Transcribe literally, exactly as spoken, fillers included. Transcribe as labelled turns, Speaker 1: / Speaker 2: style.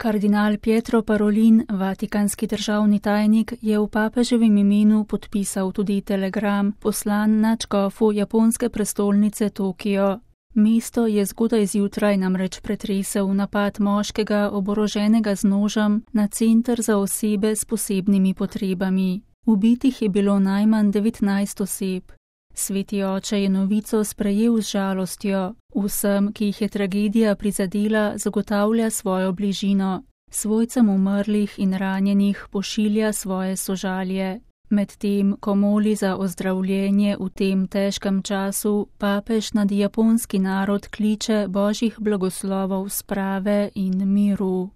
Speaker 1: Kardinal Pietro Parolin, vatikanski državni tajnik, je v papeževem imenu podpisal tudi telegram, poslan nadškofu japonske prestolnice Tokio. Mesto je zgodaj zjutraj namreč pretresel napad moškega oboroženega z nožem na center za osebe s posebnimi potrebami. Ubitih je bilo najmanj devetnajst oseb. Sveti oče je novico sprejel z žalostjo. Vsem, ki jih je tragedija prizadela, zagotavlja svojo bližino. Svojcem umrlih in ranjenih pošilja svoje sožalje. Medtem, ko moli za ozdravljenje v tem težkem času, papež nad japonski narod kliče božjih blagoslovov sprave in miru.